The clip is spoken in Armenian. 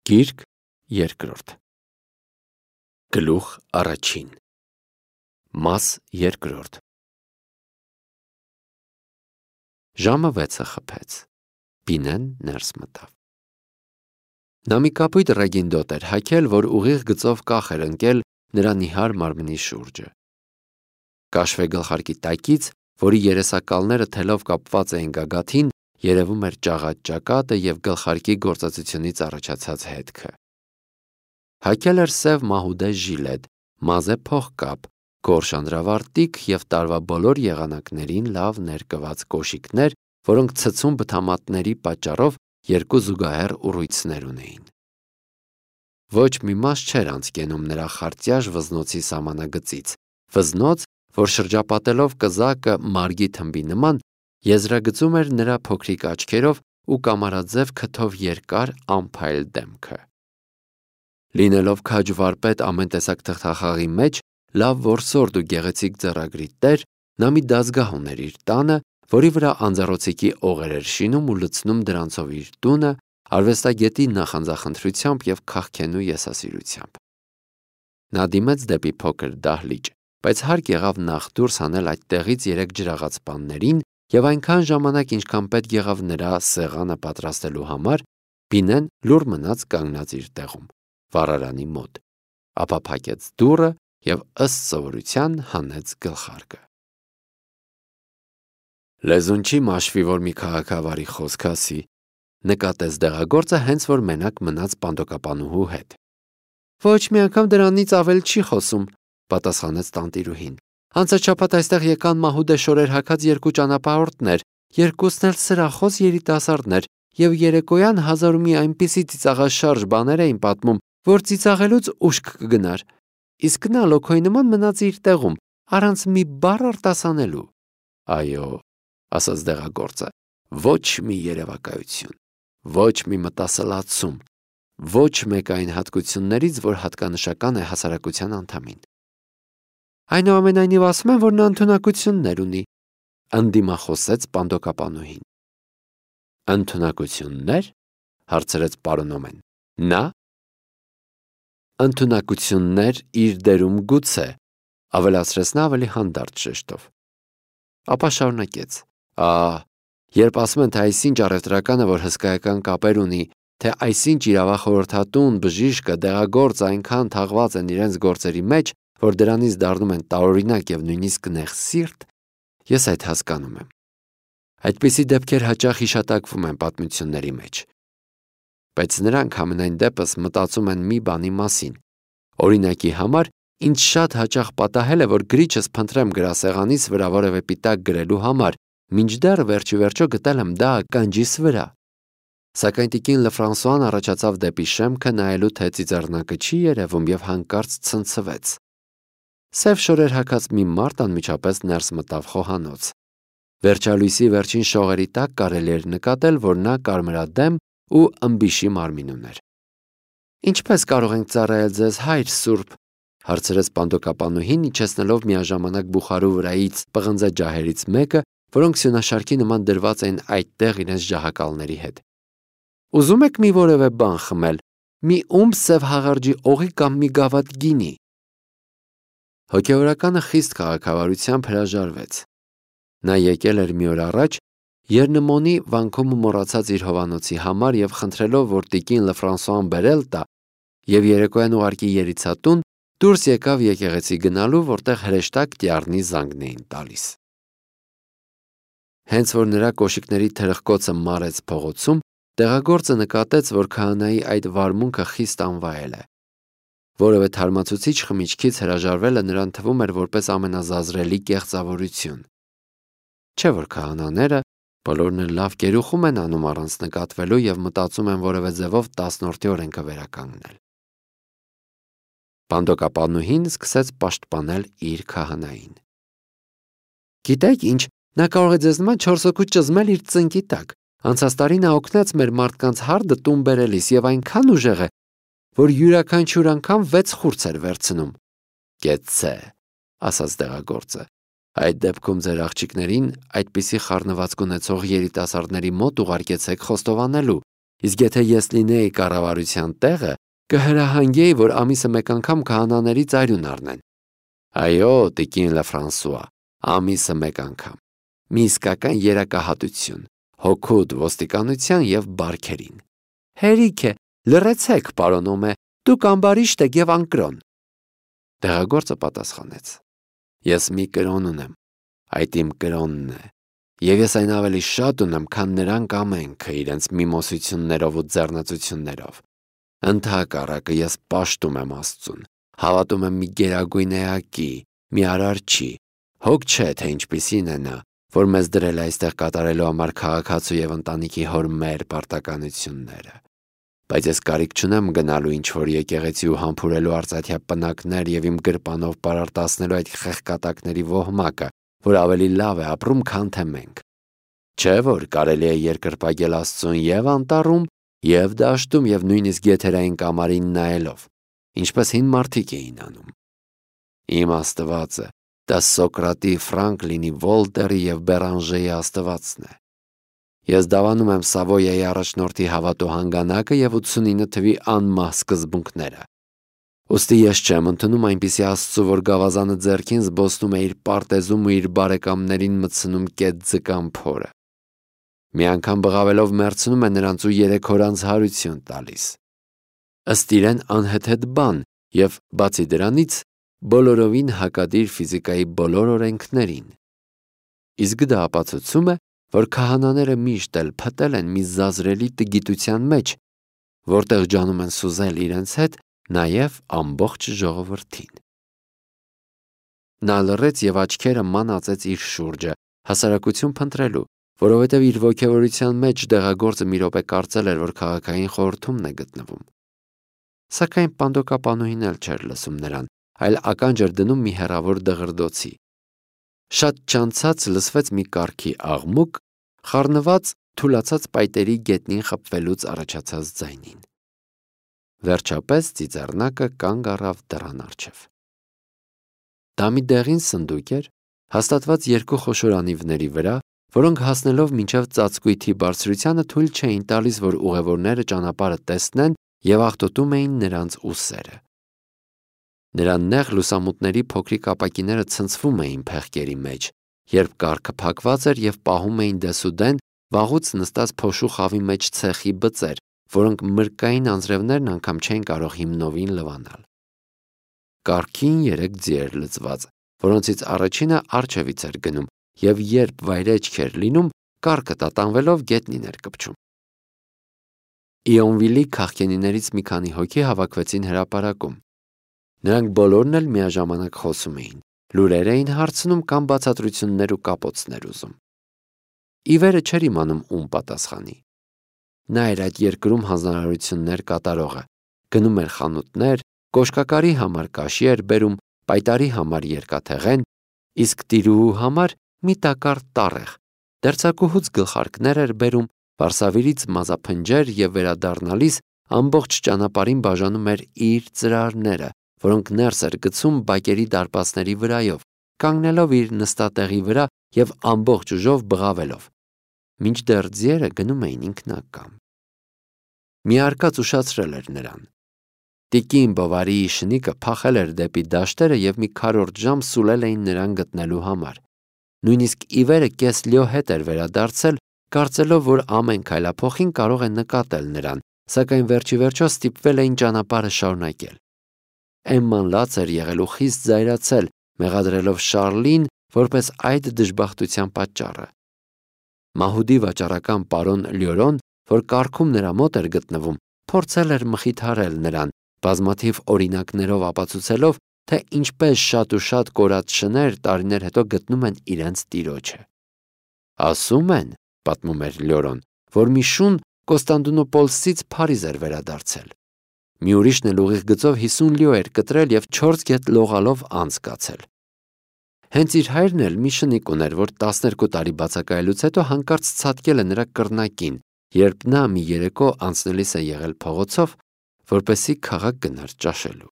Գիրք երկրորդ Գլուխ առաջին Մաս երկրորդ Ժամը 6-ը խփեց, Բինեն ներս մտավ։ Նա մի կապույտ ռեգինդոտ էր հագել, որ ուղիղ գծով կախ էր ընկել նրա նիհար մարմնի շուրջը։ Կաշվե գլխարկի տակից, որի երեսակալները թելով կապված էին գագաթին, երևում էր ճաղատ ճակատը և գլխարկի գործածությունից առաջացած հետքը։ Հագել էր սև մահուդե ժիլետ, մազե փողկապ, գորշ անդրավարտիք և տարվա բոլոր եղանակներին լավ ներկված կոշիկներ, որոնք ցցում բթամատների պատճառով երկու զուգահեռ ուռույցներ ունեին։ Ոչ մի մաս չէր անցկենում նրա խարտյաժ վզնոցի սահմանագծից, վզնոց, որ շրջապատելով կզակը մարգի թմբի նման, եզրագծում էր նրա փոքրիկ աչքերով ու կամարաձև քթով երկար անփայլ դեմքը։ Լինելով քաջ վարպետ ամեն տեսակ թղթախաղի մեջ, լավ որսորդ ու գեղեցիկ ձեռագրի տեր, նա մի դազգահ ուներ իր տանը, որի վրա անձեռոցիկի օղեր էր շինում ու լցնում դրանցով իր տունը, արվեստագետի նախանձախնդրությամբ և քաղքենու եսասիրությամբ։ Նա դիմեց դեպի փոքր դահլիճ, բայց հարկ եղավ նախ դուրս հանել այդտեղից 3 ջրաղաց պաններին և այնքան ժամանակ, ինչքան պետք եղավ նրա սեղանը պատրաստելու համար, Բինեն լուռ մնաց կանգնած իր տեղում, վառարանի մոտ, ապա փակեց դուռը և ըստ սովորության հանեց գլխարկը։ Լեզուն չի մաշվի, որ մի քաղաքավարի խոսք ասի, նկատեց դեղագործը, հենց որ մենակ մնաց պանդոկապանուհու հետ։ Ոչ մի անգամ դրանից ավել չի խոսում, պատասխանեց տանտիրուհին։ Անցած շաբաթ այստեղ եկան մահուդե շորեր հագած 2 ճանապարհորդներ, երկուսն էլ սրախոս երիտասարդներ, և երեկոյան 1000 ու մի այնպիսի ծիծաղաշարժ բաներ էին պատմում, որ ծիծաղելուց ուշք կգնար, իսկ նա լոքոյի նման մնաց իր տեղում, առանց մի բառ արտասանելու։ Այո, ասաց դեղագործը, ոչ մի երևակայություն, ոչ մի մտասլացում, ոչ մեկ այն հատկություններից, որ հատկանշական է հասարակության անդամին։ Այնուամենայնիվ ասում են, որ նա ընդունակություններ ունի, ընդդիմախոսեց պանդոկապանուհին։ Ընդունակություննե՞ր, հարցրեց պարոնոմեն։ Նա։ Ընդունակություններ իր դերում գուցե, ավելացրեց նա ավելի հանդարտ շեշտով։ Ապա շարունակեց. Երբ ասում են, թե այսինչ առևտրականը, որ հսկայական կապեր ունի, թե այսինչ իրավախորհրդատուն, բժիշկը, դեղագործը այնքան թաղված են իրենց գործերի մեջ, որ դրանից դառնում են տարօրինակ և նույնիսկ նեղսիրտ, ես այդ հասկանում եմ։ Այդպիսի դեպքեր հաճախ հիշատակվում են պատմությունների մեջ։ Բայց նրանք համենայն դեպս մտածում են մի բանի մասին։ Օրինակի համար, ինձ շատ հաճախ պատահել է, որ գրիչս փնտրեմ գրասեղանիս վրա որևէ պիտակ գրելու համար, մինչդեռ վերջիվերջո գտել եմ դա ականջիս վրա։ Սակայն տիկին Լեֆրանսուան առաջացավ դեպի շեմքը նայելու, թե ծիծեռնակը չի երևում, և հանկարծ ցնցվեց։ Սև շորեր հագած մի մարդ անմիջապես ներս մտավ խոհանոց։ Վերջալույսի վերջին շողերի տակ կարելի էր նկատել, որ նա կարմրադեմ ու ըմբիշի մարմին ուներ։ Ինչպե՞ս կարող ենք ծառայել ձեզ, հայր սուրբ, հարցրեց պանդոկապանուհին, իջեցնելով միաժամանակ բուխարու վրայից պղնձե ջահերից մեկը, որոնք սյունաշարքի նման դրված էին այդտեղ իրենց ջահակալների հետ։ Ուզում եք մի որևէ բան խմել, մի ումբ սև հաղարջի օղի կամ մի գավաթ գինի։ Հոգևորականը խիստ քաղաքավարությամբ հրաժարվեց։ Նա եկել էր մի օր առաջ, Եռնմոնի վանքում մոռացած իր հովանոցի համար և խնդրելով, որ տիկին Լեֆրանսուան բերել տա և երեկոյան ուղարկի երիցատուն, դուրս եկավ եկեղեցի գնալու, որտեղ հրեշտակ տյառնի զանգն էին տալիս։ Հենց որ նրա կոշիկների թրխկոցը մարեց փողոցում, դեղագործը նկատեց, որ քահանայի այդ վարմունքը խիստ անվայել է։ Որևէ թարմացուցիչ խմիչքից հրաժարվելը նրան թվում էր որպես ամենազազրելի կեղծավորություն։ Չէ՞ որ քահանաները բոլորն էլ լավ կերուխում են անում առանց նկատվելու և մտածում են որևէ ձևով 10-րդ օրեն կվերականգնել։ Պանդոկապանուհին սկսեց պաշտպանել իր քահանային։ Գիտեք ինչ, նա կարող է ձեզ նման 4 հոգու ճզմել իր ծնկի տակ։ Անցած տարի նա օգնեց մեր մարդկանց հարդը տուն բերելիս և այնքան ուժեղ է, որ յուրաքանչյուր անգամ 6 խուրձ էր վերցնում։ Կեցցե, ասաց դեղագործը։ Այդ դեպքում ձեր աղջիկներին այդպիսի խառնվածք ունեցող երիտասարդների մոտ ուղարկեցեք խոստովանելու, Իսկ եթե ես լինեի կառավարության տեղը, կհրահանգեի, որ ամիսը մեկ անգամ քահանաների ծայրուն առնեն։ Այո, տիկին Լեֆրանսուଆ, ամիսը մեկ անգամ։ Մի իսկական երակահատություն, հոգուտ ոստիկանության և բարքերին։ Հերիք է, լռեցեք, պարոն Օմե, դուք ամբարիշտ եք և անկրոն։ Տեղագործը պատասխանեց. Ես մի կրոն ունեմ, այդ իմ կրոնն է, և ես այն ավելի շատ ունեմ, քան նրանք ամենքը իրենց միմոսություններով ու ձեռնծություններով։ Ընդհակառակը ես պաշտում եմ Աստծուն, հավատում եմ մի գերագույն էակի, մի արարչի, հոգ չէ, թե ինչպիսին է նա, որ մեզ դրել է այստեղ կատարելու համար քաղաքացու և ընտանիքի հոր մեր պարտականությունները։ Բայց ես կարիք չունեմ գնալու ինչ-որ եկեղեցի ու համբուրելու արծաթյա պնակներ և իմ գրպանով պարարտացնելու այդ խեղկատակների ոհմակը, որ ավելի լավ է ապրում, քան թե մենք։ Չէ՞ որ կարելի է երկրպագել Աստծուն և անտառում, և դաշտում, և նույնիսկ եթերային կամարին նայելով, ինչպես հին մարդիկ էին անում։ Իմ Աստվածը դա Սոկրատի, Ֆրանկլինի, Վոլտերի և Բերանժեի Աստվածն է։ Ես դավանում եմ Սավոյայի առաջնորդի հավատո հանգանակը և 89 թվի անմահ սկզբունքները։ Ուստի ես չեմ ընդունում այնպիսի Աստծու, որ գավազանը ձեռքին զբոսնում է իր պարտեզում ու իր բարեկամներին մտցնում կետ ձկան փորը։ Մի անգամ բղավելով մերցնում է նրանց ու 3 օր անց հարություն տալիս։ Ըստ իրեն անհեթեթ բան և, բացի դրանից, բոլորովին հակադիր ֆիզիկայի բոլոր օրենքներին։ Իսկ դա ապացուցում է, որ քահանաները միշտ էլ փտել են մի զազրելի տգիտության մեջ, որտեղ ջանում են սուզել իրենց հետ նաև ամբողջ ժողովրդին։ Նա լռեց և աչքերը մանածեց իր շուրջը, հասարակություն փնտրելու, որովհետև իր ոգևորության մեջ դեղագործը մի րոպե կարծել էր, որ քաղաքային խորհրդումն է գտնվում։ Սակայն պանդոկապանուհին էլ չէր լսում նրան, այլ ականջ էր դնում մի հեռավոր դղրդոցի։ Շատ չանցած լսվեց մի կառքի աղմուկ, խառնված թուլացած պայտերի գետնին խփվելուց առաջացած ձայնին։ Վերջապես ծիծեռնակը կանգ առավ դռան առջև։ Դա մի դեղին սնդուկ էր, հաստատված 2 խոշոր անիվների վրա, որոնք հասնելով մինչև ծածկույթի բարձրությանը թույլ չէին տալիս, որ ուղևորները ճանապարհը տեսնեն և աղտոտում էին նրանց ուսերը։ Նրա նեղ լուսամուտների փոքրիկ ապակիները ցնցվում էին փեղկերի մեջ, երբ կառքը փակված էր և պահում էին դեսուդեն վաղուց նստած փոշու խավի մեջ ցեխի բծեր, որոնք մրրկային անձրևներն անգամ չէին կարող հիմնովին լվանալ։ Կառքին 3 ձի էր լցված, որոնցից առաջինը առջևից էր գնում, և երբ վայրէջք էր լինում, կառքը տատանվելով գետնին էր կպչում։ Իոնվիլի քաղքենիներից մի քանի հոգի հավաքվեցին հրապարակում։ Նրանք բոլորն էլ միաժամանակ խոսում էին, լուրեր էին հարցնում կամ բացատրություններ ու կապոցներ ուզում։ Ի վերը չէր իմանում ում պատասխանի։ Նա էր այդ երկրում հանձնարարություններ կատարողը, գնում էր խանութներ, կոշկակարի համար կաշի էր բերում, պայտարի համար երկաթեղեն, իսկ տիրուհու համար մի տակառ տառեղ, դերձակուհուց գլխարկներ էր բերում, վարսավիրից մազափնջեր և վերադառնալիս ամբողջ ճանապարհին բաժանում էր իր ծրարները, որոնք ներս էր գցում բակերի դարպասների վրայով, կանգնելով իր նստատեղի վրա և ամբողջ ուժով բղավելով, մինչդեռ ձիերը գնում էին ինքնակամ։ Մի արկած ուշացրել էր նրան։ Տիկին Բովարիի շնիկը փախել էր դեպի դաշտերը և մի քառորդ ժամ սուլել էին նրան գտնելու համար։ Նույնիսկ ի վերը կես լյո հետ էր վերադարձել, կարծելով, որ ամեն քայլափոխին կարող է նկատել նրան, սակայն վերջիվերջո ստիպվել էին ճանապարհը շարունակել։ Էմման լաց էր եղել ու խիստ զայրացել, մեղադրելով Շառլին որպես այդ դժբախտության պատճառը։ Մահուդի վաճառական պարոն Լյորոն, որ կառքում նրա մոտ էր գտնվում, փորձել էր մխիթարել նրան, բազմաթիվ օրինակներով ապացուցելով, թե ինչպես շատ ու շատ կորած շներ տարիներ հետո գտնում են իրենց տիրոջը։ Ասում են, պատմում էր Լյորոն, որ մի շուն Կոստանդնուպոլսից Փարիզ էր վերադարձել։ Մի ուրիշն էլ ուղիղ գծով 50 լյո էր կտրել և 4 գետ լողալով անց կացել։ Հենց իր հայրն էլ մի շնիկ ուներ, որ 12 տարի բացակայելուց հետո հանկարծ ցատկել է նրա կռնակին, երբ նա մի երեկո անցնելիս է եղել փողոցով, որպեսզի քաղաք գնար ճաշելու։